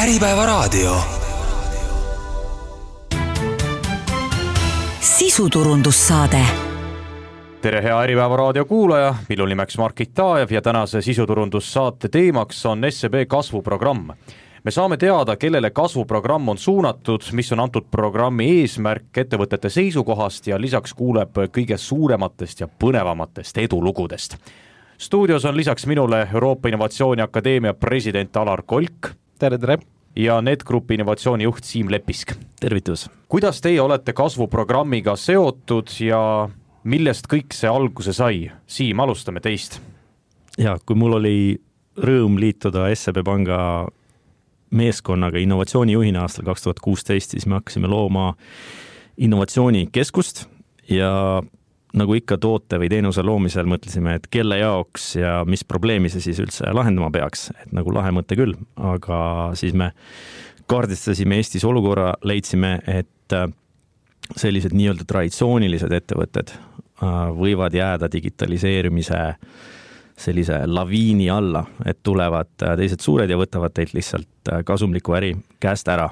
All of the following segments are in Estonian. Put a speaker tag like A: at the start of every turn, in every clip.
A: Äripäevaraadio.
B: Sisuturundussaade.
C: Tere hea Äripäevaraadio kuulaja, minu nimeks Margit Taajev ja tänase sisuturundussaate teemaks on SEB kasvuprogramm. Me saame teada, kellele kasvuprogramm on suunatud, mis on antud programmi eesmärk ettevõtete seisukohast ja lisaks kuuleb kõige suurematest ja põnevamatest edulugudest. Stuudios on lisaks minule Euroopa Innovatsiooni Akadeemia president Alar Kolk.
D: Tere.
C: Ja NetGroupi innovatsioonijuht Siim Lepisk.
D: Tervitus.
C: Kuidas teie olete kasvuprogrammiga seotud ja millest kõik see alguse sai? Siim, alustame teist.
D: Ja, kui mul oli rõõm liituda SEB Panga meeskonnaga innovatsioonijuhina aastal 2016, siis me hakkasime looma innovatsioonikeskust ja nagu ikka toote või teenuse loomisel mõtlesime, et kelle jaoks ja mis probleemi see siis üldse lahendama peaks, et nagu lahe mõte küll, aga siis me kaardistasime Eestis olukorra, leidsime, et sellised nii-öelda traditsioonilised ettevõtted võivad jääda digitaliseerimise sellise laviini alla, et tulevad teised suured ja võtavad teilt lihtsalt kasumliku äri käest ära.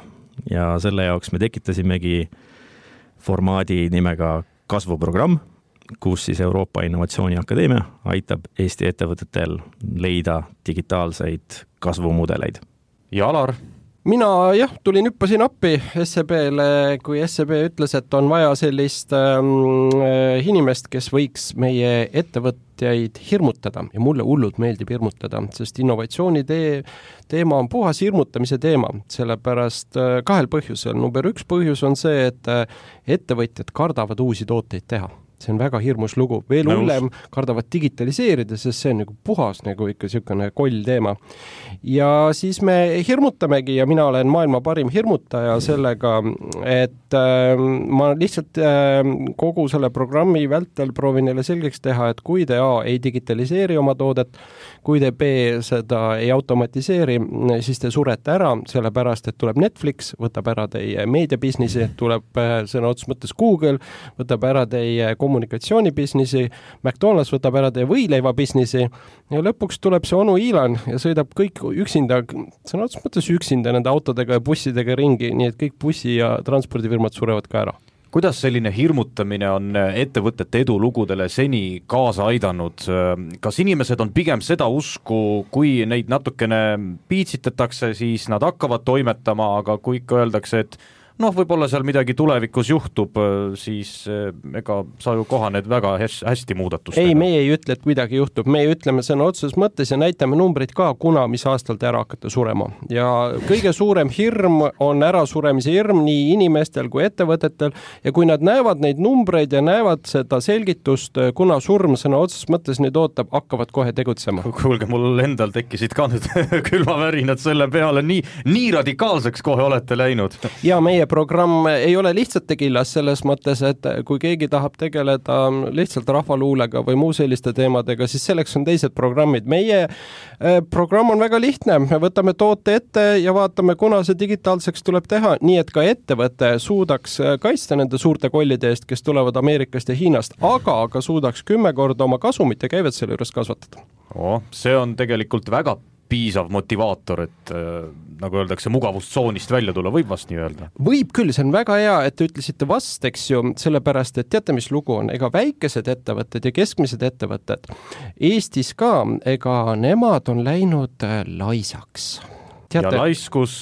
D: Ja selle jaoks me tekitasimegi formaadi nimega kasvuprogramm, kus siis Euroopa Innovatsiooni Akadeemia aitab Eesti ettevõtetel leida digitaalseid kasvumudeleid.
C: Ja Alar?
E: Mina tulin hüppasin appi SEB-le, kui SEB ütles, et on vaja sellist inimest, kes võiks meie ettevõtjaid hirmutada. Ja mulle hullult meeldib hirmutada, sest innovatsiooni teema on puhas hirmutamise teema, sellepärast kahel põhjusel. Number 1 põhjus on see, et ettevõtjad kardavad uusi tooteid teha. See on väga hirmus lugu. Veel hullem kardavad digitaliseerida, sest see on nagu puhas nagu ikka selline koll teema. Ja siis me hirmutamegi ja mina olen maailma parim hirmutaja sellega, et ma lihtsalt kogu selle programmi vältel proovin neile selgeks teha, et kui te A ei digitaliseeri oma toodet, kui te B seda ei automatiseeri, siis te surete ära, sellepärast, et tuleb Netflix, võtab ära teie meediabisnisi, tuleb sõna otseses mõttes Google, võtab ära teie kommunikatsioonibisnisi, McDonald's võtab ära teie võileivabisnisi ja lõpuks tuleb see onu Iilan ja sõidab kõik üksinda, sõna otseses mõttes üksinda nende autodega ja bussidega ringi, nii et kõik bussi- ja transpordifirmad surevad ka ära.
C: Kuidas selline hirmutamine on ettevõtete edulugudele seni kaasa aidanud? Kas inimesed on pigem seda usku, kui neid natukene piitsitatakse, siis nad hakkavad toimetama, aga kui ikka öeldakse, et võib-olla seal midagi tulevikus juhtub, siis ega sa ju kohaned väga hästi muudatustega.
E: Ei, meie ei ütle, et midagi juhtub. Meie ütleme sõna otseses mõttes ja näitame numbrid ka, kuna mis aastal te ära hakkate surema. Ja kõige suurem hirm on ärasuremise hirm nii inimestel kui ettevõtetel ja kui nad näevad neid numbreid ja näevad seda selgitust, kuna surm sõna otseses mõttes neid ootab, hakkavad kohe tegutsema.
C: Kuulge, mul endal tekkisid ka nüüd külmavärinad selle peale, nii radikaalseks kohe olete läinud.
E: Ja meie programm ei ole lihtsalt tegillas selles mõttes, et kui keegi tahab tegeleda lihtsalt rahvaluulega või muu selliste teemadega, siis selleks on teised programmid. Meie programm on väga lihtne. Me võtame toote ette ja vaatame, kuna see digitaalseks tuleb teha, nii et ka ettevõte suudaks kaitsta nende suurte kollide eest, kes tulevad Ameerikast ja Hiinast, aga ka suudaks 10 korda oma kasumit ja käivet selle juures kasvatada.
C: See on tegelikult väga piisav motivaator, et nagu öeldakse, mugavustsoonist välja tulla, võib vast nii öelda?
E: Võib küll, see on väga hea, et te ütlesite vast, eks ju, sellepärast, et teate, mis lugu on, ega väikesed ettevõtted ja keskmised ettevõtted Eestis ka, ega nemad on läinud laisaks.
C: Teate? Ja laiskus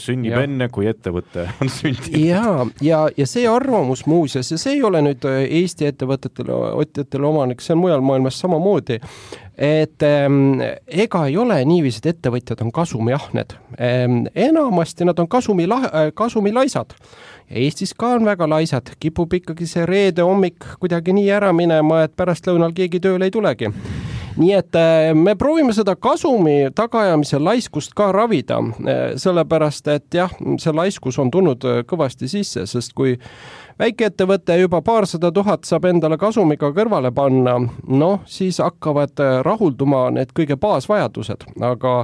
C: sünnib enne, kui ettevõte on sündinud.
E: Ja see arvamus muuseas, ja see ei ole nüüd Eesti ettevõtetele omanik, see on mujal maailmas samamoodi, et ega ei ole niiviisi, et ettevõtjad on kasumiahned. Enamasti nad on kasumilaisad. Eestis ka on väga laisad, kipub ikkagi see reede hommik kuidagi nii ära minema, et pärast lõunal keegi tööle ei tulegi. Nii et me proovime seda kasumi tagaajamise laiskust ka ravida, sellepärast, et see laiskus on tulnud kõvasti sisse, sest kui väikeettevõte juba 200 000 saab endale kasumiga kõrvale panna, siis hakkavad rahulduma need kõige baasvajadused. Aga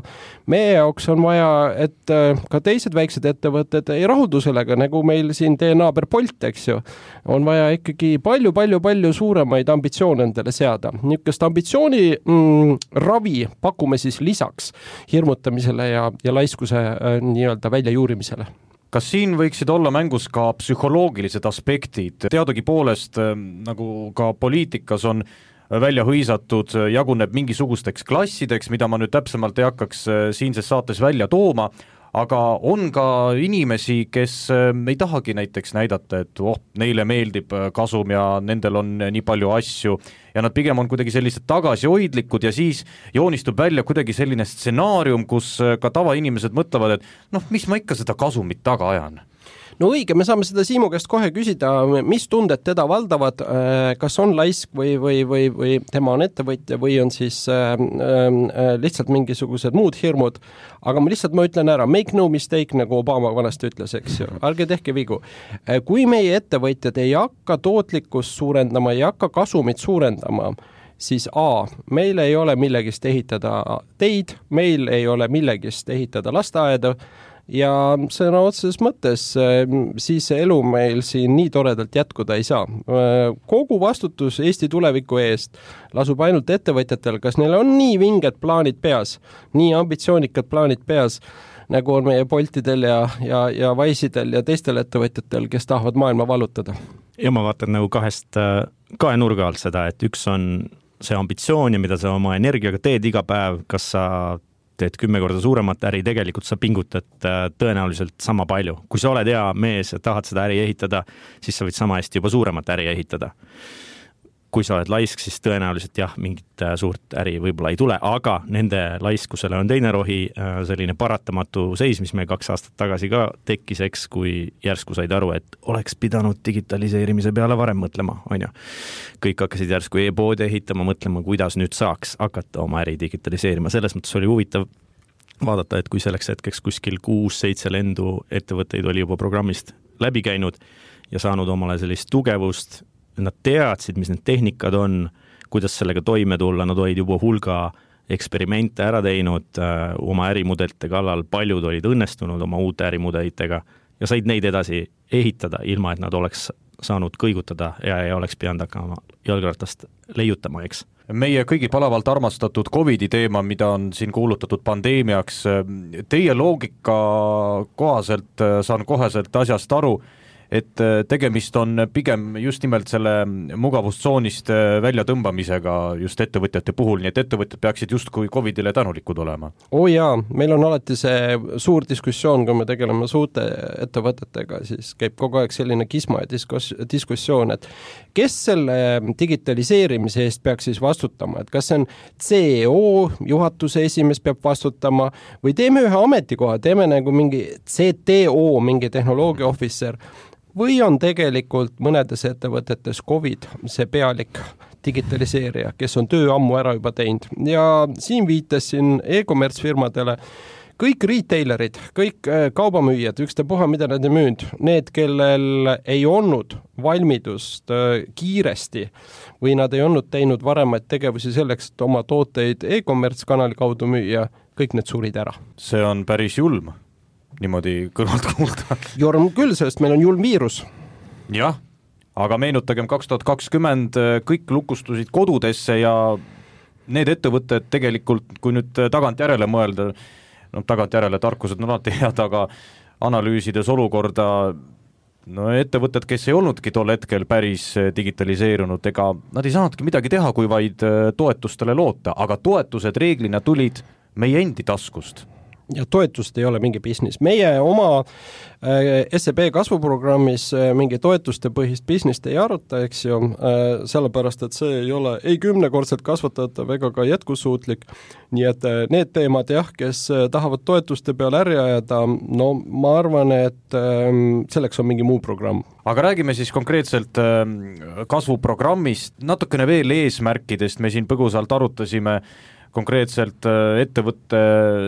E: meie jaoks on vaja, et ka teised väiksed ettevõtted ei rahuldu sellega, nagu meil siin teie naaber Bolt, eks ju. On vaja ikkagi palju suuremaid ambitsioone endale seada. Niisugust ambitsiooni ravi pakume siis lisaks hirmutamisele ja laiskuse nii-öelda väljajuurimisele?
C: Kas siin võiksid olla mängus ka psühholoogilised aspektid? Teadugi poolest, nagu ka poliitikas on välja hõisatud, jaguneb mingisugusteks klassideks, mida ma nüüd täpsemalt ei hakkaks siinses saates välja tooma, aga on ka inimesi, kes ei tahagi näiteks näidata, et neile meeldib kasum ja nendel on nii palju asju ja nad pigem on kuidagi sellised tagasihoidlikud ja siis joonistub välja kuidagi selline stsenaarium, kus ka tavainimesed mõtlevad, et mis ma ikka seda kasumit taga ajan.
E: No õige, me saame seda Siimu käest kohe küsida, mis tunded teda valdavad, kas on laisk või tema on ettevõtja või on siis lihtsalt mingisugused muud hirmud, aga ma ütlen ära, make no mistake, nagu Obama vanasti ütles, eks ju, ärge tehke vigu. Kui meie ettevõtjad ei hakka tootlikkust suurendama, ei hakka kasumit suurendama, siis meil ei ole millegist ehitada teid, meil ei ole millegist ehitada lasteaeda, ja sõna otseses mõttes siis elu meil siin nii toredalt jätkuda ei saa. Kogu vastutus Eesti tuleviku eest lasub ainult ettevõtjatel, kas neil on nii vinged plaanid peas, nii ambitsioonikad plaanid peas, nagu on meie Boltidel ja Wise'idel ja teistel ettevõtjatel, kes tahavad maailma vallutada.
D: Ja ma vaatan nagu kahe nurga alt seda, et üks on see ambitsioon ja mida sa oma energiaga teed iga päev, kas sa teed 10 korda suuremat äri, tegelikult sa pingutad tõenäoliselt sama palju. Kui sa oled hea mees ja tahad seda äri ehitada, siis sa võid sama hästi juba suuremat äri ehitada. Kui sa oled laisk, siis tõenäoliselt mingit suurt äri võib-olla ei tule, aga nende laiskusele on teine rohi, selline paratamatu seis, mis meil 2 aastat tagasi ka tekkis, eks, kui järsku said aru, et oleks pidanud digitaliseerimise peale varem mõtlema, on ju. Kõik hakkasid järsku e-poodi ehitama, mõtlema, kuidas nüüd saaks hakata oma äri digitaliseerima. Selles mõttes oli huvitav vaadata, et kui selleks hetkeks kuskil 6-7 lendu ettevõtteid oli juba programmist läbi käinud ja saanud omale sellist tugevust, nad teadsid, mis need tehnikad on, kuidas sellega toime tulla, nad olid juba hulga eksperimente ära teinud oma ärimudelite kallal, paljud olid õnnestunud oma uute ärimudelitega ja said neid edasi ehitada, ilma et nad oleks saanud kõigutada ja ei oleks pidanud hakkama jalgratast leiutama, eks.
C: Meie kõigi palavalt armastatud COVID-i teema, mida on siin kuulutatud pandeemiaks, teie loogika kohaselt saan koheselt asjast aru, et tegemist on pigem just nimelt selle mugavustsoonist välja tõmbamisega just ettevõtjate puhul, nii et ettevõtjad peaksid justkui COVID-ile tänulikud olema.
E: Jaa, meil on alati see suur diskussioon, kui me tegeleme suurte ettevõtetega, siis käib kogu aeg selline kisma ja diskussioon, et kes selle digitaliseerimise eest peaks siis vastutama, et kas see on CEO, juhatuse esimees peab vastutama või teeme ühe ametikoha, teeme nagu mingi CTO, mingi tehnoloogia officer, või on tegelikult mõnedes ettevõtetes COVID see pealik digitaliseerija, kes on töö ammu ära juba teinud. Ja siin viitasin e-commerce firmadele, kõik retailerid, kõik kaubamüüjad, ükstapuha mida nad ei müünud, need, kellel ei olnud valmidust kiiresti või nad ei olnud teinud varemaid tegevusi selleks, et oma tooteid e-commerce kanali kaudu müüa, kõik need surid ära.
C: See on päris julm. Niimoodi kõrvalt kuulda.
E: Jorm küll, sest meil on julm viirus.
C: Jah, aga meenutagem 2020 kõik lukustusid kodudesse ja need ettevõtted tegelikult, kui nüüd tagantjärele mõelda, tagantjärele tarkused on alati head, aga analüüsides olukorda, ettevõtted, kes ei olnudki tol hetkel päris digitaliseerunud, ega nad ei saanudki midagi teha, kui vaid toetustele loota, aga toetused reeglina tulid meie endi taskust.
E: Ja toetust ei ole mingi business. Meie oma SEB kasvuprogrammis mingi toetuste põhist business ei aruta, eks ju, sellepärast, et see ei ole ei 10-kordselt kasvatatav ega ka jätkusuutlik. Nii et need teemad, kes tahavad toetuste peale äri ajada, ma arvan, et selleks on mingi muu programm.
C: Aga räägime siis konkreetselt kasvuprogrammist, natukene veel eesmärkidest, me siin põgusalt arutasime, konkreetselt ettevõtte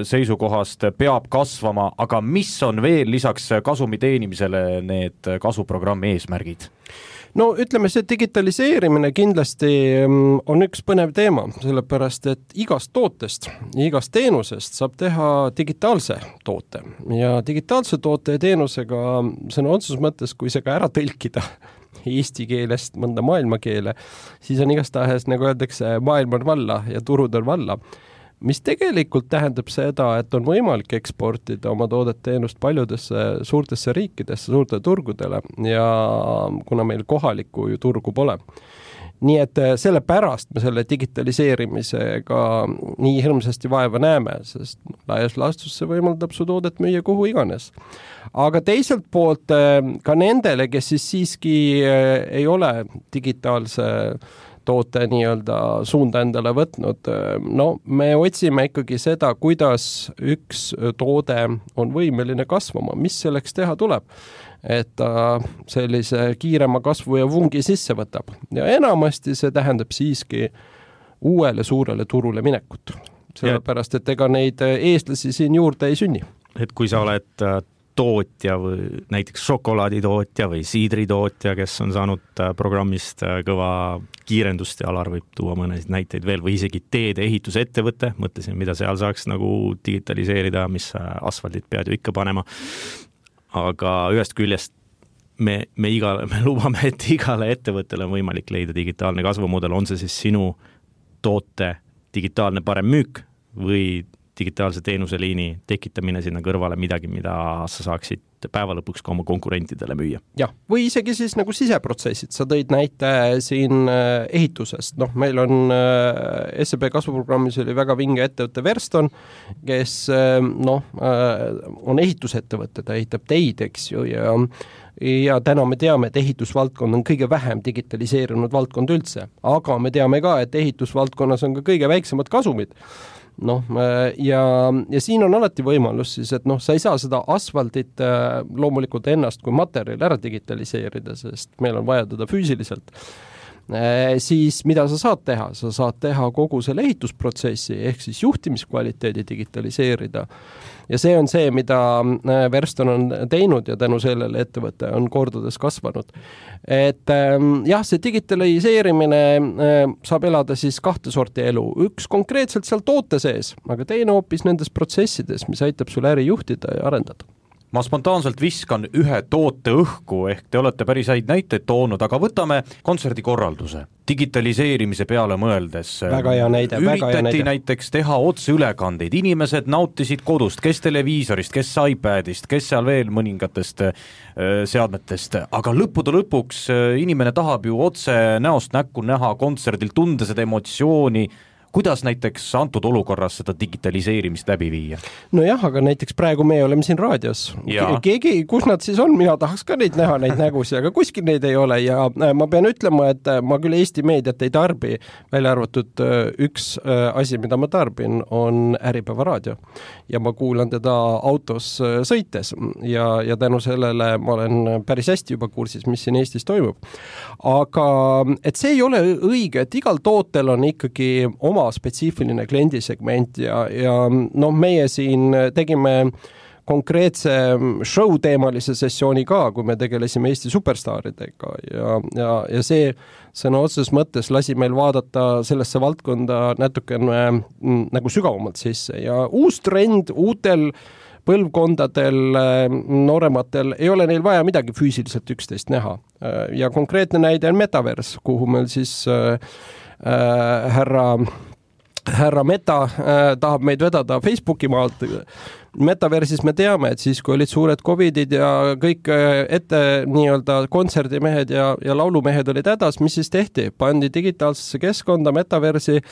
C: seisukohast peab kasvama, aga mis on veel lisaks kasumi teenimisele need kasvuprogrammi eesmärgid?
E: Ütleme, see digitaliseerimine kindlasti on üks põnev teema, sellepärast, et igast tootest, igast teenusest saab teha digitaalse toote ja digitaalse toote ja teenusega sõna otseses mõttes, kui see ka ära tõlkida eesti keelest mõnda maailmakeele, siis on igastahes, nagu öeldakse, maailm on valla ja turud on valla. Mis tegelikult tähendab seda, et on võimalik eksportida oma toodet-teenust paljudesse suurtesse riikidesse, suurtele turgudele ja kuna meil kohalikku ju turgu pole. Nii et selle pärast me selle digitaliseerimisega nii hirmsasti vaeva näeme, sest laias laastus see võimaldab su toodet müüa kuhu iganes. Aga teiselt poolt ka nendele, kes siis siiski ei ole digitaalse toote nii-öelda suunda endale võtnud, no me otsime ikkagi seda, kuidas üks toode on võimeline kasvama, mis selleks teha tuleb, et ta sellise kiirema kasvu ja vungi sisse võtab. Ja enamasti see tähendab siiski uuele suurele turule minekut, sellepärast, et ega neid eestlasi siin juurde ei sünni.
D: Et kui sa oled tootja või näiteks šokolaaditootja või siidritootja, kes on saanud programmist kõva kiirendust ja Alar võib tuua mõnesid näiteid veel või isegi teede ehitusettevõte, mõtlesin, mida seal saaks nagu digitaliseerida, mis asfaldid pead ju ikka panema. Aga ühest küljest me lubame, et igale ettevõttele on võimalik leida digitaalne kasvumudel, on see siis sinu toote digitaalne parem müük või digitaalse teenuseliini tekitamine sinna kõrvale midagi, mida sa saaksid päeva lõpuks ka oma konkurentidele müüa.
E: Jah, või isegi siis nagu siseprotsessid. Sa tõid näite siin ehitusest. Noh, meil on SEB kasvuprogrammis oli väga vinge ettevõtte Verston, kes on ehitusettevõte, ta ehitab teid, eks ju, ja täna me teame, et ehitusvaldkond on kõige vähem digitaliseerunud valdkond üldse, aga me teame ka, et ehitusvaldkonnas on ka kõige väiksemad kasumid. Ja siin on alati võimalus siis, et sa ei saa seda asfaldit loomulikult ennast kui materjali ära digitaliseerida, sest meil on vaja teda füüsiliselt. Siis mida sa saad teha? Sa saad teha kogu selle ehitusprotsessi ehk siis juhtimiskvaliteedi digitaliseerida. Ja see on see, mida Verston on teinud ja tänu sellele ettevõte on kordades kasvanud. Et jah, see digitaliseerimine saab elada siis kahte sorti elu. Üks konkreetselt seal toote sees, aga teine hoopis nendes protsessides, mis aitab sul äri juhtida ja arendada.
C: Ma spontaanselt viskan ühe toote õhku, ehk te olete päris häid näiteid toonud, aga võtame kontserdikorralduse. Digitaliseerimise peale mõeldes
E: väga hea näide,
C: üritati näiteks teha otseülekandeid. Inimesed nautisid kodust, kes televiisorist, kes iPadist, kes seal veel mõningatest seadmetest, aga lõppude lõpuks inimene tahab ju otse näost näkku näha kontserdil, tunda seda emotsiooni. Kuidas näiteks antud olukorras seda digitaliseerimist läbi viia?
E: No jah, aga näiteks praegu me oleme siin raadios. Keegi, kus nad siis on, mina tahaks ka neid näha, neid nägusi, aga kuskil neid ei ole ja ma pean ütlema, et ma küll Eesti meediat ei tarbi, välja arvatud üks asi, mida ma tarbin, on Äripäeva raadio. Ja ma kuulan teda autos sõites ja tänu sellele ma olen päris hästi juba kursis, mis siin Eestis toimub. Aga et see ei ole õige, et igal tootel on ikkagi oma spetsiifiline kliendisegment ja meie siin tegime konkreetse show-teemalise sessiooni ka, kui me tegelesime Eesti superstaaridega ja see sõna otseses mõttes lasi meil vaadata sellesse valdkonda natukene nagu sügavamalt sisse ja uus trend uutel põlvkondadel, noorematel ei ole neil vaja midagi füüsiliselt üksteist näha ja konkreetne näide on Metaverse, kuhu meil siis härra Meta tahab meid vedada Facebooki maalt. Metaversis me teame, et siis kui olid suured covidid ja kõik ette nii-öelda kontserdimehed ja laulumehed olid hädas, mis siis tehti? Pandi digitaalsesse keskkonda Metaversi,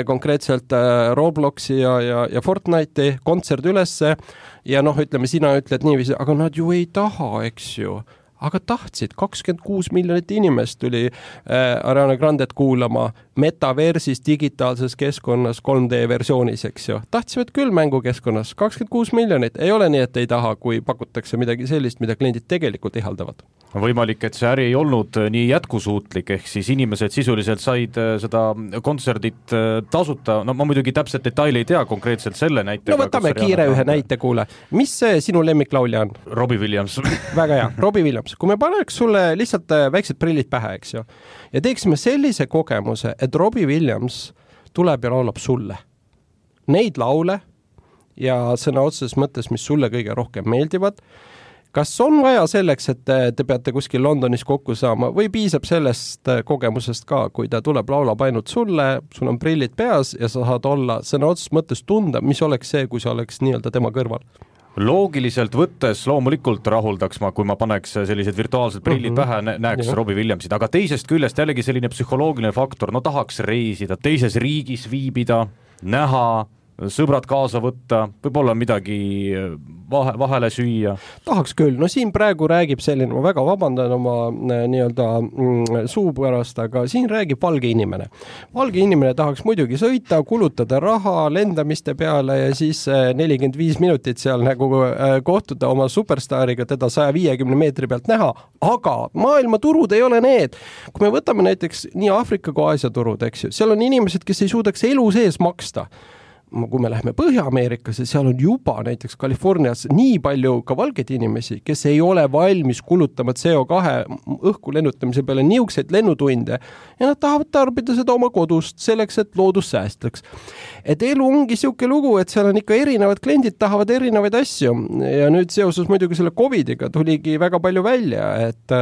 E: konkreetselt Robloxi ja Fortnite'i kontsert ülesse ja ütleme, sina ütled niiviisi, aga nad ju ei taha, eks ju. Aga tahtsid, 26 miljonit inimest tuli Ariana Grandet kuulama Metaversis digitaalses keskkonnas 3D versioonis, eks ju. Tahtsime küll mängukeskkonnas, 26 miljonit. Ei ole nii, et ei taha, kui pakutakse midagi sellist, mida kliendid tegelikult ihaldavad.
C: Võimalik, et see äri ei olnud nii jätkusuutlik, ehk siis inimesed sisuliselt said seda kontserdit tasuta. No ma muidugi täpselt detaili ei tea konkreetselt selle näite.
E: No võtame kiire ühe näite, kuule. Mis sinu lemmiklaulja on?
C: Robbie Williams.
E: Väga hea, Robbie Williams. Kui me paneks sulle lihtsalt väiksed prillid pähe, eks ju, ja teeksime sellise kogemuse, et Robbie Williams tuleb ja laulab sulle neid laule ja sõna otseses mõttes, mis sulle kõige rohkem meeldivad, kas on vaja selleks, et te peate kuskil Londonis kokku saama või piisab sellest kogemusest ka, kui ta tuleb, laulab ainult sulle, sul on prillid peas ja sa saad olla sõna otseses mõttes tunda, mis oleks see, kui sa oleks nii-öelda tema kõrval?
C: Loogiliselt võttes loomulikult rahuldaks ma, kui ma paneks sellised virtuaalsed prillid pähe, näeks Robbie Williamsit, aga teisest küljest jällegi selline psühholoogiline faktor, no tahaks reisida, teises riigis viibida, näha, sõbrad kaasa võtta, võib-olla midagi vahele süüa. Tahaks
E: küll, no siin praegu räägib selline, ma väga vabandan oma nii-öelda suu pärast, aga siin räägib valge inimene. Valge inimene tahaks muidugi sõita, kulutada raha lendamiste peale ja siis 45 minutit seal nagu kohtuda oma superstaariga, teda 150 meetri pealt näha, aga maailma turud ei ole need. Kui me võtame näiteks nii Aafrika kui Aasia turud, eks ju, seal on inimesed, kes ei suudaks elu sees maksta. Kui me läheme Põhja-Ameerikasse, seal on juba näiteks Californias nii palju ka valgeid inimesi, kes ei ole valmis kulutama CO2 õhku lennutamise peale niukseid lennutunde ja nad tahavad tarbida seda oma kodust selleks, et loodus säästaks. Et elu ongi siuke lugu, et seal on ikka erinevad kliendid tahavad erinevaid asju ja nüüd seoses muidugi selle COVIDiga tuligi väga palju välja, et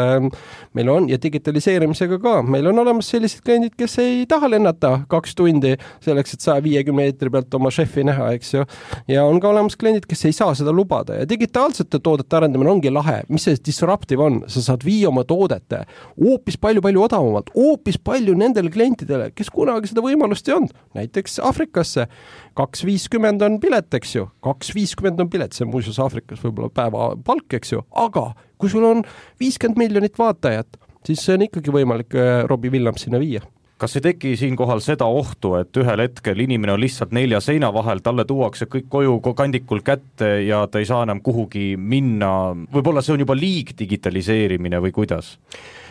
E: meil on ja digitaliseerimisega ka, meil on olemas sellised kliendid, kes ei taha lennata 2 tundi selleks, et 150 meetri pealt oma šefi näha, eks ju. Ja on ka olemas kliendid, kes ei saa seda lubada ja digitaalsete toodete arendamine ongi lahe. Mis see disruptive on? Sa saad viia oma toodete hoopis palju odavamalt, hoopis palju nendele klientidele, kes kunagi seda võimalust ei olnud. Näiteks Aafrikasse 2.50 on pilet, eks ju. 2.50 on pilet, see on muuseas Aafrikas võib-olla päeva palk, eks ju. Aga kui sul on 50 miljonit vaatajat, siis see on ikkagi võimalik Robbie Williams sinna viia.
C: Kas ei teki siinkohal seda ohtu, et ühel hetkel inimene on lihtsalt 4 seina vahel, talle tuuakse kõik koju kandikul kätte ja ta ei saa enam kuhugi minna, võib-olla see on juba liig digitaliseerimine või kuidas?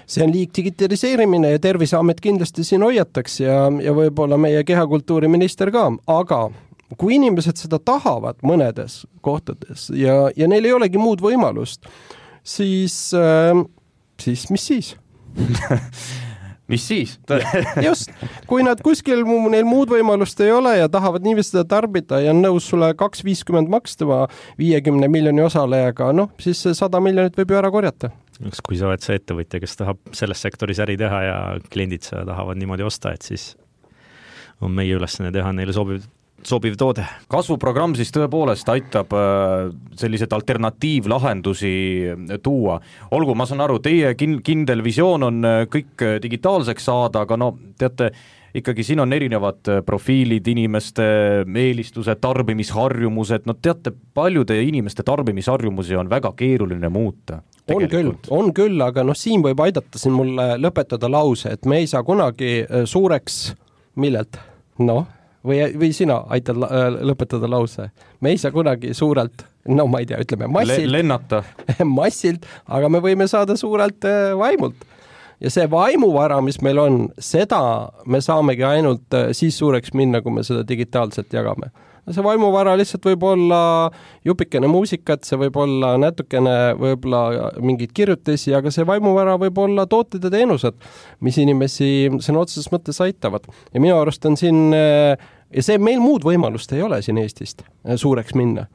E: See on liig digitaliseerimine ja Terviseamet kindlasti siin hoiataks ja võib-olla meie kehakultuuriminister ka, aga kui inimesed seda tahavad mõnedes kohtades ja neil ei olegi muud võimalust, siis mis siis?
C: Mis siis?
E: Just, kui nad kuskil neil muud võimalust ei ole ja tahavad niiviisi seda tarbida ja on nõus sulle 2.50 makstama 50 miljoni osalejaga, noh, siis 100 miljonit võib ju ära korjata.
D: Kui sa oled see ettevõtja, kes tahab selles sektoris äri teha ja kliendid seda tahavad niimoodi osta, et siis on meie ülesanne teha neile sobiv toode.
C: Kasvuprogramm siis tõepoolest aitab sellised alternatiivlahendusi tuua. Olgu, ma saan aru, teie kindel visioon on kõik digitaalseks saada, aga no teate, ikkagi siin on erinevad profiilid, inimeste eelistused, tarbimisharjumused, no teate, paljude inimeste tarbimisharjumusi on väga keeruline muuta.
E: On küll, aga noh, siin võib aidata siin mulle lõpetada lause, et me ei saa kunagi suureks millelt, noh, või sina aitad lõpetada lause. Me ei saa kunagi suurelt, no ma ei tea, ütleme massilt.
C: Lennata.
E: Massilt, aga me võime saada suurelt vaimult. Ja see vaimuvara, mis meil on, seda me saamegi ainult siis suureks minna, kui me seda digitaalselt jagame. See vaimuvara lihtsalt võib olla jupikene muusikat, see võib olla natukene võib-olla mingid kirjutisi, aga see vaimuvara võib olla tooted ja teenused, mis inimesi sõna otseses mõttes aitavad. Ja minu arust on siin, ja see meil muud võimalust ei ole siin Eestist suureks minna.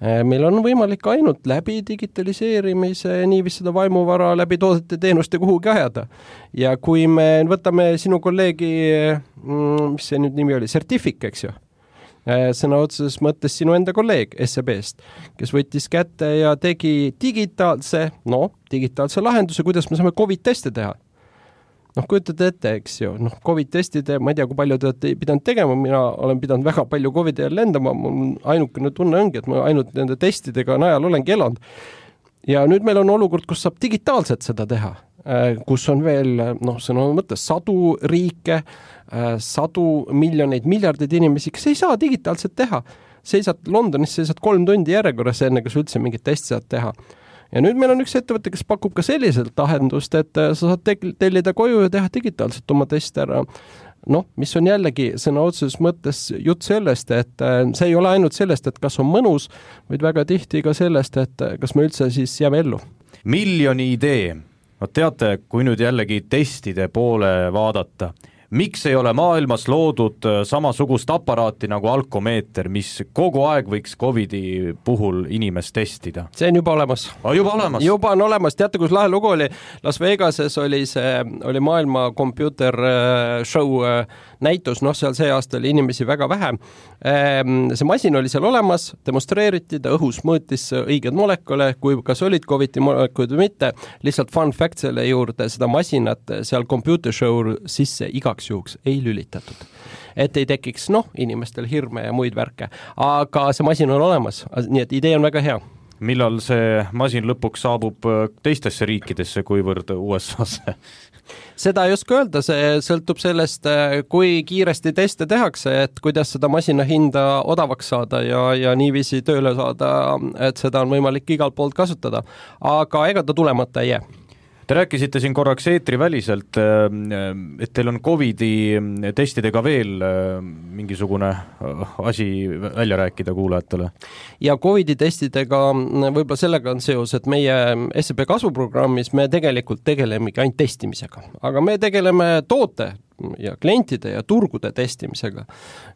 E: Meil on võimalik ainult läbi digitaliseerimise niivis seda vaimuvara läbi toodete teenuste kuhugi ajada. Ja kui me võtame sinu kolleegi, mis see nüüd nimi oli, Certific, eks ju? Sõna otseses mõttes sinu enda kolleeg SEB-st, kes võttis kätte ja tegi digitaalse lahenduse, kuidas me saame COVID-teste teha. Noh, kujutate ette, eks ju, COVID-testide, ma ei tea, kui palju te olete pidanud tegema, mina olen pidanud väga palju COVID-i lendama, mul ainukene tunne ongi, et ma ainult nende testidega najal olengi elanud. Ja nüüd meil on olukord, kus saab digitaalselt seda teha, kus on veel, sõna mõttes 100 riike, 100 miljoneid, miljardeid inimesi, kes ei saa digitaalselt teha. Seisad Londonis, seisad 3 tundi järjekorras enne, kas üldse mingit testi saad teha. Ja nüüd meil on üks ettevõte, kes pakub ka selliselt lahendust, et sa saad tellida koju ja teha digitaalselt oma testi ära. Mis on jällegi sõna otseses mõttes jutt sellest, et see ei ole ainult sellest, et kas on mõnus, vaid väga tihti ka sellest, et kas me üldse siis jääme ellu.
C: Miljoni idee. No teate, kui nüüd jällegi testide poole vaadata, miks ei ole maailmas loodud samasugust aparaati nagu alkomeeter, mis kogu aeg võiks COVID-i puhul inimest testida?
E: See on juba olemas. Juba on olemas, teate, kus lahe lugu oli? Las Vegases oli maailma computer show näitus, seal see aasta oli inimesi väga vähe. See masin oli seal olemas, demonstreeriti, ta õhus mõõtis õiged molekule, kui kas olid COVID-i molekulid või mitte. Lihtsalt fun fact selle juurde, seda masinat seal computer show sisse igaks juhuks ei lülitatud. Et ei tekiks, inimestel hirme ja muid värke. Aga see masin on olemas, nii et idee on väga hea.
C: Millal see masin lõpuks saabub teistesse riikidesse, kuivõrd USA-sse?
E: Seda ei oska öelda, see sõltub sellest, kui kiiresti teste tehakse, et kuidas seda masina hinda odavaks saada ja niiviisi tööle saada, et seda on võimalik igalt poolt kasutada. Aga ega ta tulemata ei jää.
C: Te rääkisite siin korraks eetriväliselt, et teil on COVID-i testidega veel mingisugune asi välja rääkida kuulajatele.
E: Ja COVID-i testidega võib-olla sellega on seos, et meie SEB kasvuprogrammis me tegelikult tegelemegi ainult testimisega, aga me tegeleme toote ja klientide ja turgude testimisega.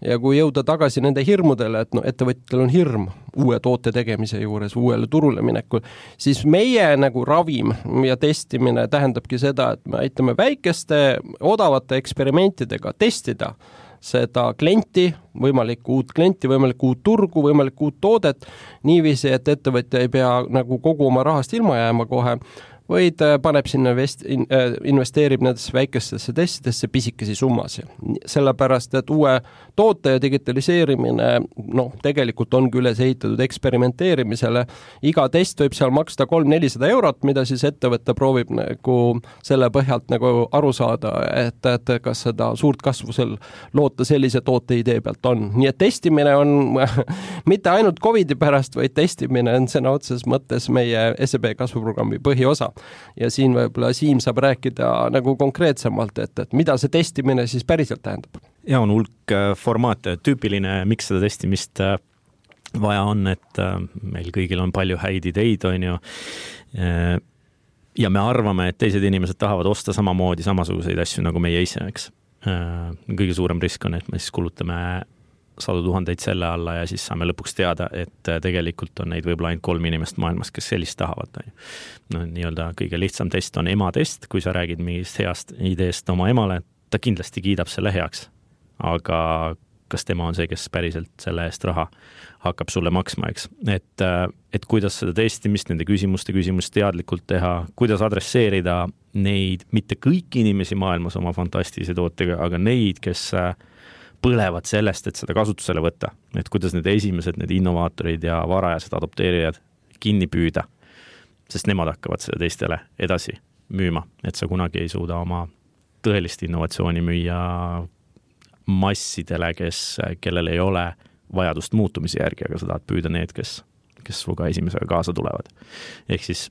E: Ja kui jõuda tagasi nende hirmudele, et ettevõtjatel on hirm uue toote tegemise juures, uuele turule minekul, siis meie nagu ravim ja testimine tähendabki seda, et me aitame väikeste odavate eksperimentidega testida seda klienti, võimalikku uut klienti, võimalikku uut turgu, võimalikku uut toodet, niiviisi, et ettevõtja ei pea nagu kogu oma rahast ilma jääma kohe, vaid paneb sinna investeerib nendesse väikestesse testidesse pisikesi summasid. Sellepärast, et uue toote ja digitaliseerimine tegelikult ongi üles ehitatud eksperimenteerimisele. Iga test võib seal maksta 300-400 €, mida siis ettevõtte proovib nagu selle põhjalt nagu aru saada, et kas seda suurt kasvu loota sellise toote idee pealt on. Nii et testimine on mitte ainult COVID-i pärast, vaid testimine on sõna otses mõttes meie SEB kasvuprogrammi põhiosa. Ja siin võib-olla Siim saab rääkida nagu konkreetsemalt, et mida see testimine siis päriselt tähendab.
D: Ja on hulk formaate, tüüpiline, miks seda testimist vaja on, et meil kõigil on palju häid ideid, on ju. Ja me arvame, et teised inimesed tahavad osta samamoodi samasuguseid asju nagu meie ise, eks. Kõige suurem risk on, et me siis kulutame 100 000 selle alla ja siis saame lõpuks teada, et tegelikult on neid võib-olla ainult 3 inimest maailmas, kes sellist tahavad. Nii-öelda kõige lihtsam test on ema test, kui sa räägid mingist heast ideest oma emale, ta kindlasti kiidab selle heaks. Aga kas tema on see, kes päriselt selle eest raha hakkab sulle maksma, eks? Et kuidas seda testimist, nende küsimuste teadlikult teha, kuidas adresseerida neid, mitte kõiki inimesi maailmas oma fantastilise tootega, aga neid, kes põlevad sellest, et seda kasutusele võtta. Et kuidas need esimesed, need innovaatorid ja varajased adopteerijad kinni püüda, sest nemad hakkavad seda teistele edasi müüma. Et sa kunagi ei suuda oma tõelist innovatsiooni müüa massidele, kellel ei ole vajadust muutumise järgi, aga sa tahad püüda need, kes suga esimesega kaasa tulevad. Ehk siis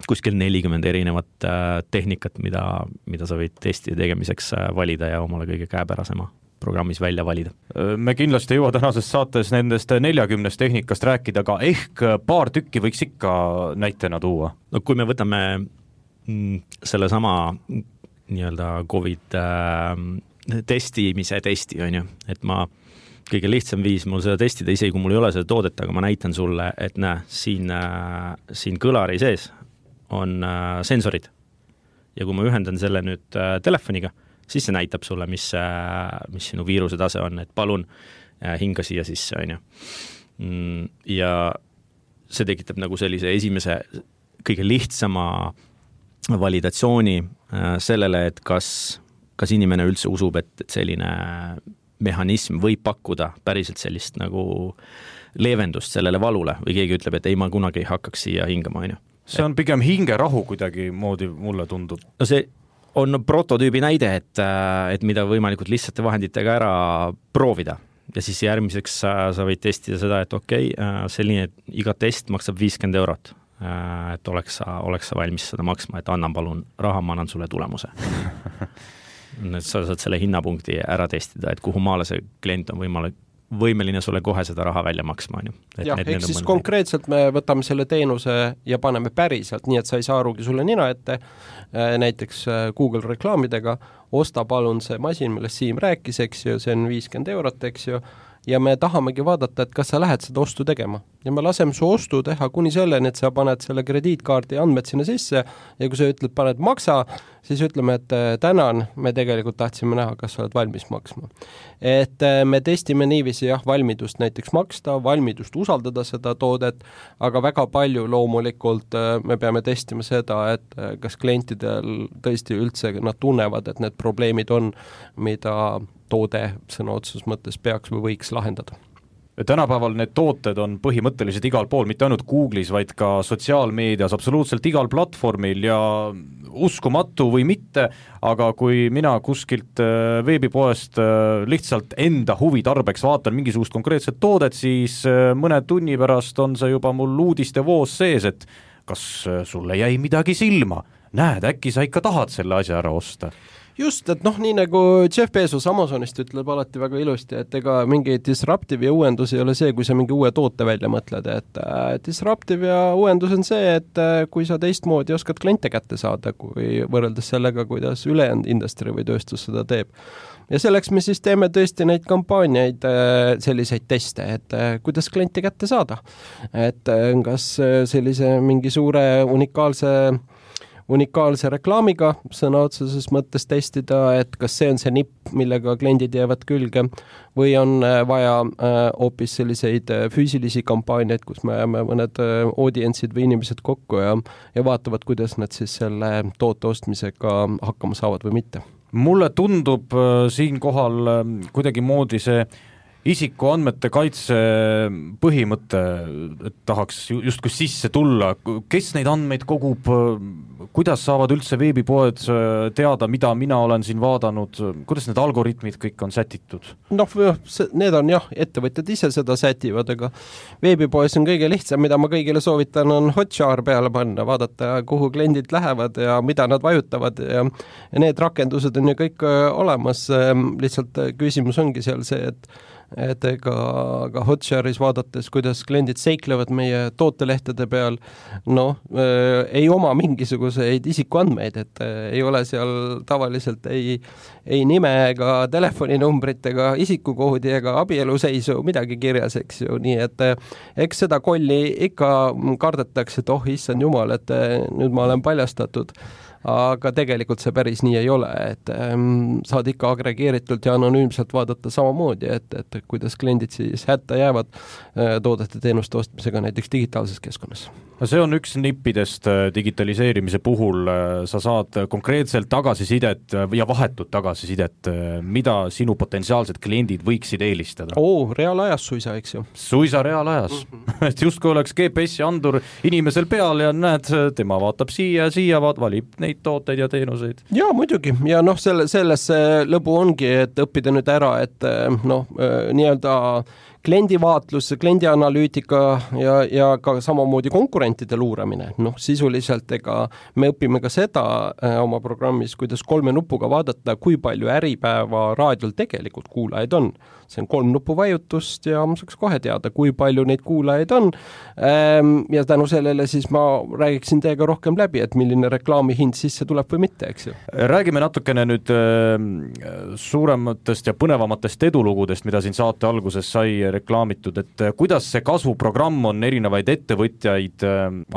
D: kuskil 40 erinevat tehnikat, mida sa võid testi tegemiseks valida ja omale kõige käepärasema programmis välja valida.
C: Me kindlasti jõua tänases saates nendest 40 tehnikast rääkida, aga ehk paar tükki võiks ikka näitena tuua.
D: No kui me võtame selle sama nii-öelda COVID testimise testi, on ju, et ma kõige lihtsam viis mul seda testida, isegi kui mul ei ole seda toodet, aga ma näitan sulle, et näe, siin kõlari sees on sensorid. Ja kui ma ühendan selle nüüd telefoniga, siis see näitab sulle, mis sinu viiruse tase on, et palun hinga siia sisse, on ju. Ja see tekitab nagu sellise esimese kõige lihtsama validatsiooni sellele, et kas inimene üldse usub, et selline mehhanism võib pakkuda päriselt sellist nagu leevendust sellele valule või keegi ütleb, et ei, ma kunagi ei hakkaks siia hingama, on ju.
C: See on pigem hingerahu kuidagi moodi, mulle tundub.
D: No see on prototüübi näide, et mida võimalikult lihtsate vahenditega ära proovida. Ja siis järgmiseks sa võid testida seda, et okei, selline iga test maksab 50 €. Et oleks sa valmis seda maksma, et annan palun raha, ma annan sulle tulemuse. Sa saad selle hinnapunkti ära testida, et kuhu maale see klient on võimeline sulle kohe seda raha välja maksma, on ju.
E: Jah, ehk siis konkreetselt me võtame selle teenuse ja paneme päriselt, nii et sa ei saa arugi sulle nina ette, näiteks Google reklaamidega, osta palun see masin, millest Siim rääkis, eks ju, see on 50 €, eks ju, ja me tahamegi vaadata, et kas sa lähed seda ostu tegema. Ja me laseme su ostu teha kuni selleni, et sa paned selle krediitkaardi andmed sinna sisse ja kui sa ütled, paned maksa, siis ütleme, et tänan, me tegelikult tahtsime näha, kas sa oled valmis maksma. Et me testime niiviisi valmidust näiteks maksta, valmidust usaldada seda toodet, aga väga palju loomulikult me peame testima seda, et kas klientidel tõesti üldse nad tunnevad, et need probleemid on, mida toode sõna otseses mõttes peaks või võiks lahendada.
C: Tänapäeval need tooted on põhimõtteliselt igal pool, mitte ainult Google'is, vaid ka sotsiaalmeedias, absoluutselt igal platvormil ja uskumatu või mitte, aga kui mina kuskilt veebipoest lihtsalt enda huvi tarbeks vaatan mingisugust konkreetset toodet, siis mõne tunni pärast on see juba mul uudiste voos sees, et kas sulle jäi midagi silma? Näed, äkki sa ikka tahad selle asja ära osta?
E: Just, et nii nagu Jeff Bezos Amazonist ütleb alati väga ilusti, et ega mingi disruptive ja uuendus ei ole see, kui sa mingi uue toote välja mõtled, et disruptive ja uuendus on see, et kui sa teistmoodi oskad kliente kätte saada, kui võrreldes sellega, kuidas ülejäänud industry või tööstus seda teeb. Ja selleks me siis teeme tõesti neid kampaaniaid, selliseid teste, et kuidas klienti kätte saada. Et kas sellise mingi suure unikaalse reklaamiga sõna otseses mõttes testida, et kas see on see nipp, millega kliendid jäävad külge või on vaja hoopis selliseid füüsilisi kampaaniaid, kus me jääme mõned audientsid või inimesed kokku ja vaatavad, kuidas nad siis selle toote ostmisega hakkama saavad või mitte.
C: Mulle tundub siinkohal kuidagi moodi see isikuandmete kaitse põhimõte, et tahaks justkui sisse tulla, kes neid andmeid kogub, kuidas saavad üldse veebipoed teada, mida mina olen siin vaadanud, kuidas need algoritmid kõik on sätitud?
E: Need on ettevõtjad ise seda sätivad, aga veebipoes on kõige lihtsam, mida ma kõigile soovitan, on Hotjar peale panna, vaadata, kuhu kliendid lähevad ja mida nad vajutavad ja need rakendused on ju kõik olemas, lihtsalt küsimus ongi seal see, et ka Hotjaris vaadates, kuidas kliendid seiklevad meie tootelehtede peal, ei oma mingisuguseid isikuandmeid, et ei ole seal tavaliselt ei nime ega telefoninumbrit ega isikukoodi ega abieluseisu midagi kirjas, eks ju, nii et eks seda kolli ikka kardetakse, et issand jumal, et nüüd ma olen paljastatud. Aga tegelikult see päris nii ei ole, et saad ikka agregeeritult ja anonüümselt vaadata samamoodi, et kuidas kliendid siis hätta jäävad toodete teenuste ostmisega näiteks digitaalses keskkonnas.
C: See on üks nippidest digitaliseerimise puhul, sa saad konkreetselt tagasisidet ja vahetut tagasisidet, mida sinu potentsiaalsed kliendid võiksid eelistada.
E: Reaalajas suisa, eks ju.
C: Suisa reaalajas, et justkui oleks GPS-i andur inimesel peal ja näed, tema vaatab siia, valib neid tooteid ja teenuseid.
E: Jaa, muidugi, ja selles lõbu ongi, et õppida nüüd ära, et nii-öelda kliendivaatlus, kliendianalüütika ja ka samamoodi konkurentide luuramine. Sisuliselt me õpime ka seda oma programmis, kuidas 3 nupuga vaadata, kui palju Äripäeva raadiol tegelikult kuulajaid on. See on 3 nupuvajutust ja ma saaks kohe teada, kui palju neid kuulajaid on. Ja tänu sellele siis ma räägiksin teiega rohkem läbi, et milline reklaami hind sisse tuleb või mitte, eks ju.
C: Räägime natukene nüüd suurematest ja põnevamatest edulugudest, mida siin saate alguses sai reklaamitud, et kuidas see kasvuprogramm on erinevaid ettevõtjaid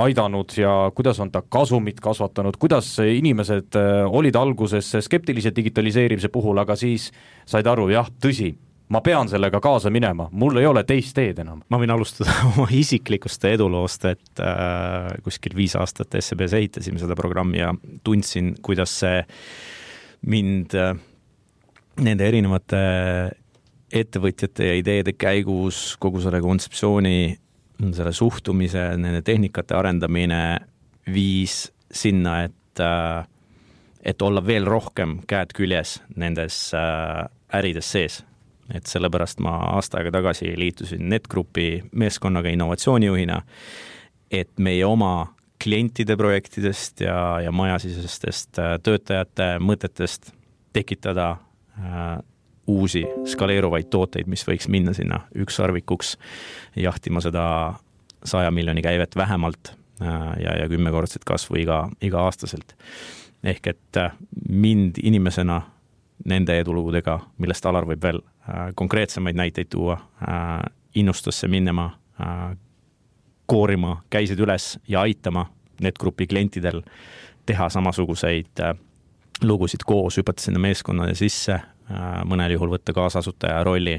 C: aidanud ja kuidas on ta kasumit kasvatanud, kuidas inimesed olid alguses skeptilised digitaliseerimise puhul, aga siis said aru, tõsi, ma pean sellega kaasa minema, mul ei ole teist teed enam.
D: Ma võin alustada oma isiklikust eduloost, et kuskil 5 aastat SEBs ehitasime seda programmi ja tundsin, kuidas see mind nende erinevate ettevõtjate ja ideede käigus, kogu selle kontseptsiooni, selle suhtumise, nende tehnikate arendamine viis sinna, et olla veel rohkem käed küljes nendes ärides sees. Et sellepärast ma aasta aega tagasi liitusin NetGroupi meeskonnaga innovatsioonijuhina, et meie oma klientide projektidest ja majasisestest töötajate mõtetest tekitada uusi skaleeruvaid tooteid, mis võiks minna sinna ükssarvikuks jahtima seda 100 miljoni käivet vähemalt ja 10-kordset kasvu iga aastaselt. Ehk et mind inimesena nende edulugudega, millest Alar võib veel konkreetsemaid näiteid tuua, innustusse minema, koorima käisid üles ja aitama NetGrupi klientidel teha samasuguseid lugusid koos, hüpata sinna meeskonnade sisse, mõnel juhul võtta kaasasutaja rolli,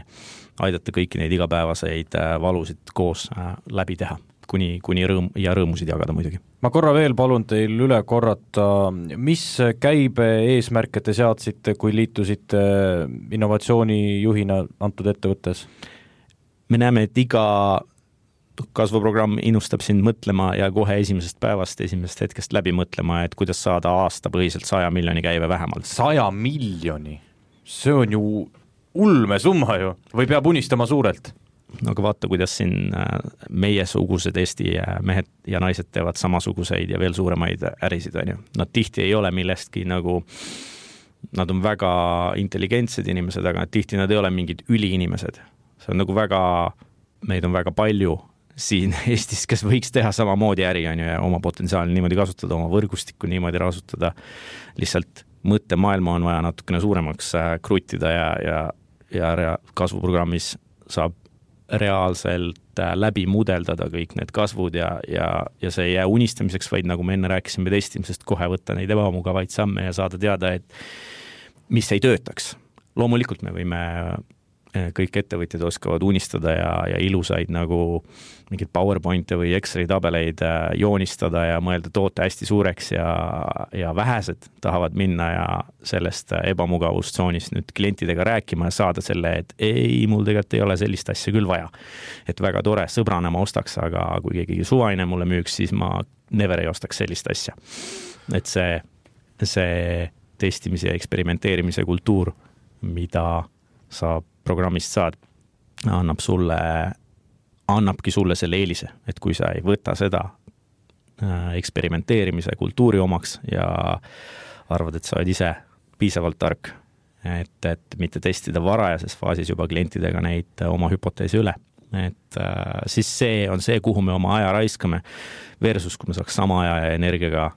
D: aidata kõiki neid igapäevaseid valusid koos läbi teha, kuni rõõmusid jagada muidugi.
C: Ma korra veel palun teil üle korrata, mis käibe eesmärke te seadsite, kui liitusite innovatsioonijuhina antud ettevõttes?
D: Me näeme, et iga kasvuprogramm innustab sind mõtlema ja kohe esimesest päevast, esimesest hetkest läbi mõtlema, et kuidas saada aastapõhiselt 100 miljoni käive vähemalt.
C: 100 miljoni? See on ju ulmesumma ju, või peab unistama suurelt?
D: No aga vaata, kuidas siin meiesugused Eesti mehed ja naised teevad samasuguseid ja veel suuremaid ärisid, on ju. Nad tihti ei ole millestki nagu, nad on väga intelligentsed inimesed, aga tihti nad ei ole mingid üliinimesed. See on nagu väga, meid on väga palju siin Eestis, kes võiks teha samamoodi äri, on ju, ja oma potentsiaali niimoodi kasutada, oma võrgustikku niimoodi kasutada. Lihtsalt mõttemaailma on vaja natukene suuremaks kruttida ja kasvuprogrammis saab reaalselt läbi mudeldada kõik need kasvud ja see ei jää unistamiseks, vaid nagu me enne rääkisime testimisest, kohe võtta neid ebamugavaid samme ja saada teada, et mis ei töötaks. Loomulikult me võime, kõik ettevõtjad oskavad unistada ja ilusaid nagu mingid PowerPointe või Exceli tabeleid joonistada ja mõelda toote hästi suureks ja vähesed tahavad minna ja sellest ebamugavustsoonist nüüd klientidega rääkima ja saada selle, et ei, mul tegelikult ei ole sellist asja küll vaja. Et väga tore, sõbrana ma ostaks, aga kui keegi suvaline mulle müüks, siis ma never ei ostaks sellist asja. Et see testimise ja eksperimenteerimise kultuur, mida sa programmist saad, annabki sulle selle eelise, et kui sa ei võta seda eksperimenteerimise kultuuri omaks ja arvad, et sa oled ise piisavalt tark, et mitte testida varajases faasis juba klientidega neid oma hüpoteesi üle. Et siis see on see, kuhu me oma aja raiskame versus, kui me saaks sama aja ja energiaga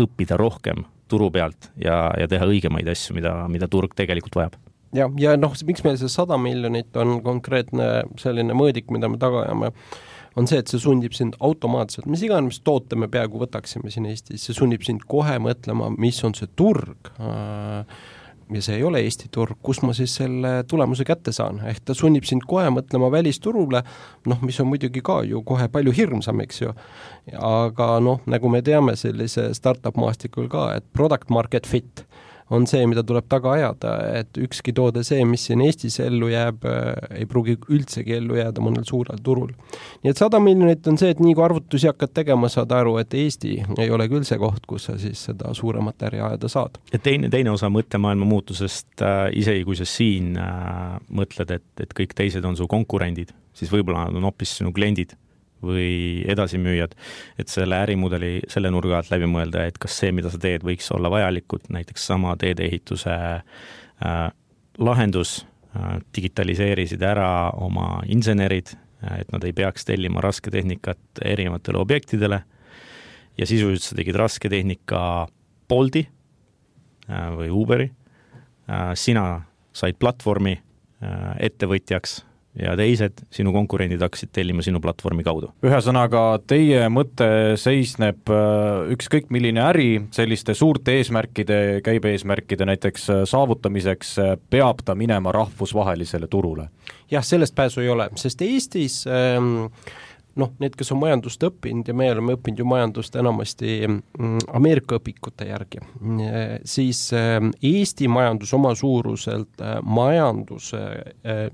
D: õppida rohkem turu pealt ja teha õigemaid asju, mida turg tegelikult vajab.
E: Ja miks meil see 100 miljonit on konkreetne selline mõõdik, mida me taga ajame, on see, et see sundib sind automaatselt, mis iganes toote me peaaegu võtaksime siin Eestis, see sunnib sind kohe mõtlema, mis on see turg ja see ei ole Eesti turg, kus ma siis selle tulemuse kätte saan. Ehk ta sunnib sind kohe mõtlema välisturule, mis on muidugi ka ju kohe palju hirmsam, eks ju. Aga nagu me teame sellise startup maastikul ka, et product market fit on see, mida tuleb taga ajada, et ükski toode see, mis siin Eestis ellu jääb, ei pruugi üldsegi ellu jääda mõnel suurel turul. Nii et 100 miljonit on see, et nii kui arvutusi hakkad tegema, saad aru, et Eesti ei ole küll see koht, kus sa siis seda suuremat äri ajada saad.
D: Ja teine osa mõttemaailma muutusest, isegi kui sa siin mõtled, et kõik teised on su konkurendid, siis võib-olla on hoopis sinu kliendid või edasimüüjad, et selle ärimudeli selle nurga alt läbi mõelda, et kas see, mida sa teed, võiks olla vajalikud, näiteks sama teedeehituse lahendus, digitaliseerisid ära oma insenerid, et nad ei peaks tellima rasketehnikat erinevatele objektidele ja sisuliselt sa tegid rasketehnika Bolti või Uberi, sina said platvormi ettevõtjaks ja teised sinu konkurendid hakkasid tellima sinu platvormi kaudu.
C: Ühesõnaga, teie mõte seisneb ükskõik milline äri selliste suurte eesmärkide, käibe-eesmärkide näiteks saavutamiseks peab ta minema rahvusvahelisele turule?
E: Jah, sellest pääsu ei ole, sest Eestis need, kes on majandust õppinud ja me oleme õppinud ju majandust enamasti Ameerika õpikute järgi, siis Eesti majandus oma suuruselt majanduse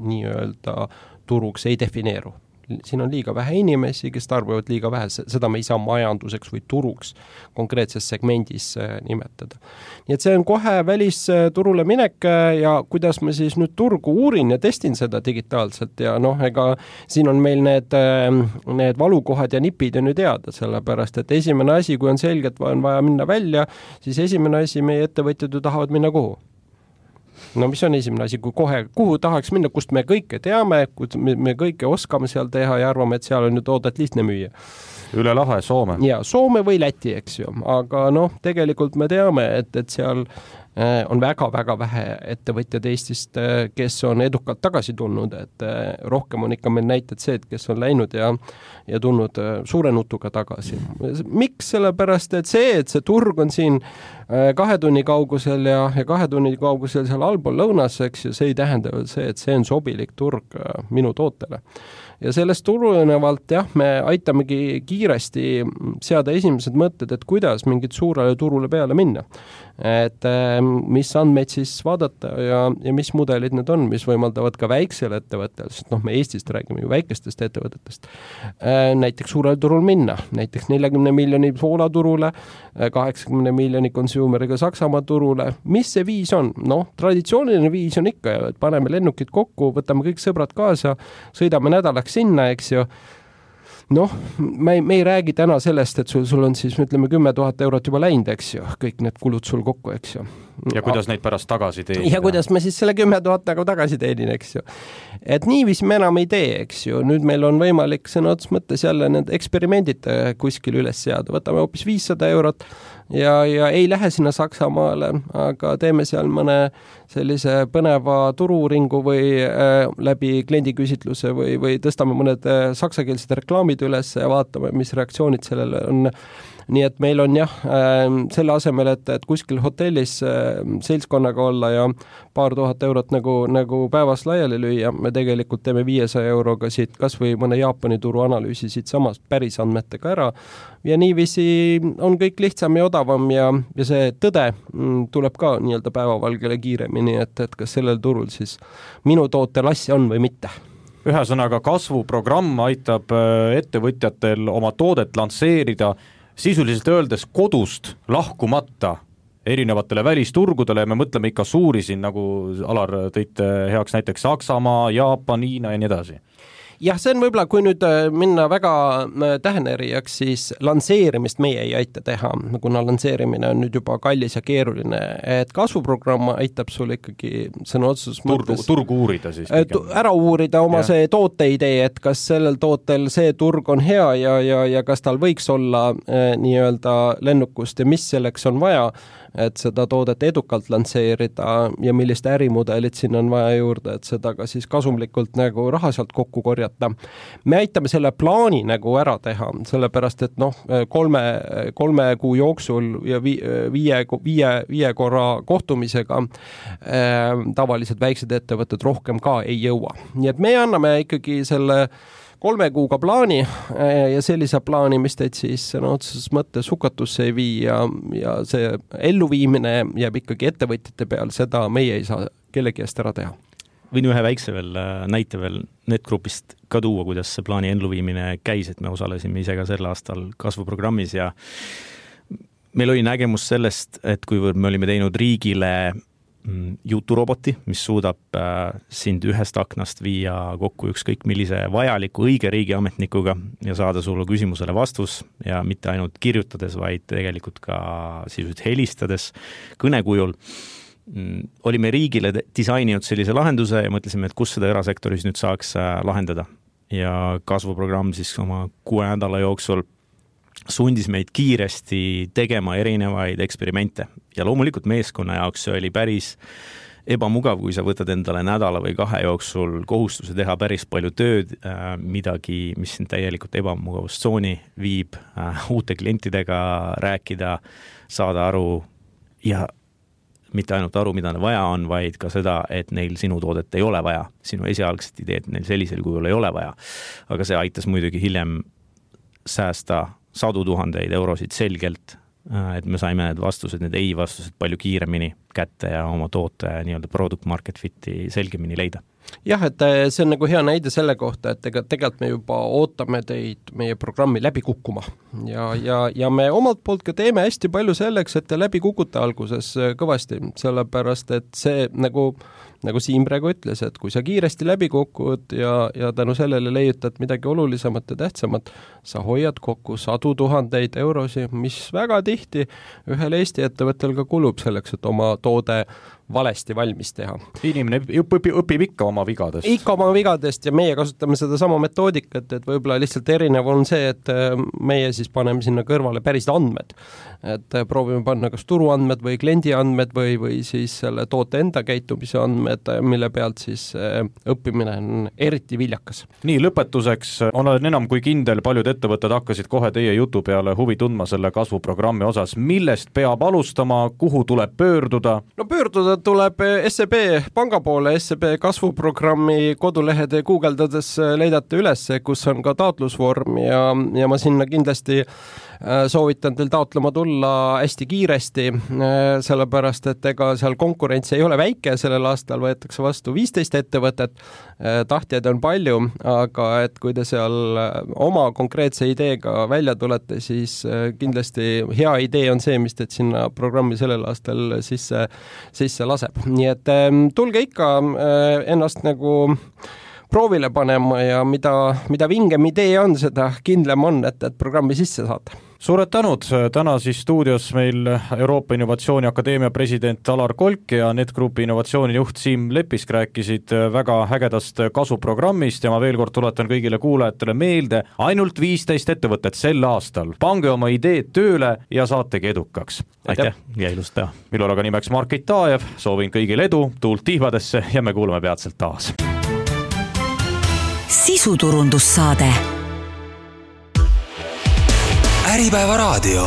E: nii-öelda turuks ei defineeru. Siin on liiga vähe inimesi, kes tarbivad liiga vähe, seda me ei saa majanduseks või turuks konkreetses segmendis nimetada. Nii et see on kohe välisturule minek ja kuidas ma siis nüüd turgu uurin ja testin seda digitaalselt ja ega siin on meil need valukohad ja nipid on ju teada, sellepärast et esimene asi, kui on selge, et on vaja minna välja, siis esimene asi meie ettevõtjad ju tahavad minna kuhu? no mis on esimene asi, kui kohe, kuhu tahaks minna, kust me kõike teame, me kõike oskame seal teha ja arvame, et seal on ju toodet lihtne müüa.
C: Üle lahe Soome.
E: Ja Soome või Läti, eks ju, aga tegelikult me teame, et seal on väga-väga vähe ettevõtjad Eestist, kes on edukalt tagasi tulnud, et rohkem on ikka meil näited see, et kes on läinud ja tulnud suure nutuga tagasi. Miks? Sellepärast, et see turg on siin 2 tunni kaugusel ja 2 tunni kaugusel seal allpool lõunas, eks ju, see ei tähenda see, et see on sobilik turg minu tootele. Ja sellest tulenevalt me aitamegi kiiresti seada esimesed mõtted, et kuidas mingit suurele turule peale minna. Et mis andmeid siis vaadata ja mis mudelid need on, mis võimaldavad ka väiksele ettevõttel, sest me Eestist räägime ju väikestest ettevõtetest, näiteks suurele turul minna, näiteks 40 miljoni Poola turule, 80 miljoni consumeriga Saksamaa turule. Mis see viis on? Traditsiooniline viis on ikka, et paneme lennukid kokku, võtame kõik sõbrad kaasa, sõidame nädalaks sinna, eks ju. Me ei räägi täna sellest, et sul on siis, ütleme, 10 000 eurot juba läinud, eks ju, kõik need kulud sul kokku, eks ju.
C: Ja kuidas neid pärast tagasi teenida?
E: Ja kuidas me siis selle 10 000 nagu tagasi teenin, eks ju. Et niiviisi me enam ei tee, eks ju. Nüüd meil on võimalik sõna otsas mõttes jälle need eksperimendid kuskil üles seada. Võtame hoopis 500 eurot ja ei lähe sinna Saksamaale, aga teeme seal mõne sellise põneva tururingu või läbi kliendiküsitluse või tõstame mõned saksakeelsed reklaamid üles ja vaatame, mis reaktsioonid sellele on. Nii et meil on selle asemel, et kuskil hotellis seltskonnaga olla ja paar tuhat eurot nagu päevas laiali lüüa, me tegelikult teeme 500 euroga siit kas või mõne Jaapani turu analüüsi siit samast päris andmetega ära ja niiviisi on kõik lihtsam ja odavam ja see tõde tuleb ka nii-öelda päevavalgele kiiremini, et kas sellel turul siis minu tootel asja on või mitte.
C: Ühesõnaga kasvuprogramm aitab ettevõtjatel oma toodet lansseerida sisuliselt öeldes kodust lahkumata erinevatele välisturgudele ja me mõtleme ikka suuri siin, nagu Alar tõite heaks näiteks Saksamaa, Jaapan, Hiina ja nii edasi.
E: Jah, see on võib-olla, kui nüüd minna väga tähenerijaks, siis lansseerimist meie ei aita teha, kuna lansseerimine on nüüd juba kallis ja keeruline, et kasvuprogramm aitab sul ikkagi sõna otsus
C: turgu uurida siis.
E: Ära uurida oma see tooteidee, et kas sellel tootel see turg on hea ja kas tal võiks olla nii-öelda lennukust ja mis selleks on vaja, et seda toodet edukalt lansseerida ja millist ärimudelit siin on vaja juurde, et seda ka siis kasumlikult nagu raha sealt kokku korjata. Me aitame selle plaani nagu ära teha, sellepärast et 3 kuu jooksul ja 5 korra kohtumisega tavaliselt väiksed ettevõtted rohkem ka ei jõua. Nii et me anname ikkagi selle 3 kuuga plaani ja sellise plaani, mis teid siis otseses mõttes hukatusse ei vii ja see elluviimine jääb ikkagi ettevõtjate peal, seda meie ei saa kellegi eest ära teha.
D: Võin ühe väikse näite veel NetGroupist ka tuua, kuidas see plaani elluviimine käis, et me osalesime ise ka sel aastal kasvuprogrammis ja meil oli nägemus sellest, et kuivõrd me olime teinud riigile juturoboti, mis suudab sind ühest aknast viia kokku ükskõik millise vajaliku õige riigiametnikuga ja saada sulle küsimusele vastus ja mitte ainult kirjutades, vaid tegelikult ka sisuliselt helistades kõnekujul. Olime riigile disaininud sellise lahenduse ja mõtlesime, et kus seda erasektoris nüüd saaks lahendada. Ja kasvuprogramm siis oma 6 nädala jooksul sundis meid kiiresti tegema erinevaid eksperimente ja loomulikult meeskonna jaoks see oli päris ebamugav, kui sa võtad endale nädala või 2 jooksul kohustuse teha päris palju tööd, midagi, mis sind täielikult ebamugavustsooni viib, uute klientidega rääkida, saada aru ja mitte ainult aru, mida vaja on, vaid ka seda, et neil sinu toodet ei ole vaja, sinu esialgset ideed neil sellisel kujul ei ole vaja. Aga see aitas muidugi hiljem säästa 100 000 eurosid selgelt, et me saime need vastused, need ei-vastused palju kiiremini kätte ja oma toote nii-öelda product market fit'i selgemini leida.
E: Jah, et see on nagu hea näide selle kohta, et tegelikult me juba ootame teid meie programmi läbi kukkuma ja me omalt poolt ka teeme hästi palju selleks, et te läbi kukute alguses kõvasti, sellepärast et see nagu Siim praegu ütles, et kui sa kiiresti läbi kukud ja tänu sellele leiutad midagi olulisemat ja tähtsamat, sa hoiad kokku 100 000 eurosi, mis väga tihti ühel Eesti ettevõttel ka kulub selleks, et oma toode valesti valmis teha.
C: Inimene õpib ikka oma vigadest.
E: Ikka oma vigadest ja meie kasutame seda sama metoodikat, et võib-olla lihtsalt erinev on see, et meie siis paneme sinna kõrvale päris andmed. Et proovime panna kas turuandmed või kliendi andmed või siis selle toote enda käitumise andmed, mille pealt siis õppimine on eriti viljakas.
C: Nii, lõpetuseks olen enam kui kindel, paljud ettevõtted hakkasid kohe teie jutu peale huvi tundma selle kasvuprogrammi osas. Millest peab alustama, kuhu tuleb pöörduda?
E: No pöörduda tuleb SEB panga poole, SEB kasvuprogrammi kodulehede guugeldades leidate üles, kus on ka taotlusvorm ja ma sinna kindlasti soovitan teil taotlema tulla hästi kiiresti, sellepärast, et ega seal konkurents ei ole väike, sellel aastal võetakse vastu 15 ettevõtet, tahtjaid on palju, aga et kui te seal oma konkreetse ideega välja tulete, siis kindlasti hea idee on see, mis teid sinna programmi sellel aastal sisse laseb. Nii et tulge ikka ennast nagu proovile panema ja mida vingem idee on, seda kindlam on, et programmi sisse saate.
C: Suured tänud, täna siis stuudios meil Euroopa Innovatsiooni Akadeemia president Alar Kolk ja NetGroupi innovatsioonijuht Siim Lepisk rääkisid väga ägedast kasvuprogrammist ja ma veel kord tuletan kõigile kuulajatele meelde, ainult 15 ettevõtet sel aastal. Pange oma ideed tööle ja saategi edukaks.
D: Aitäh ja ilust päeva.
C: Minul aga nimeks Margit Taajev, soovin kõigile edu, tuult tiivadesse ja me kuuleme peatselt taas.
B: Sisuturundussaade.
A: Äripäeva raadio.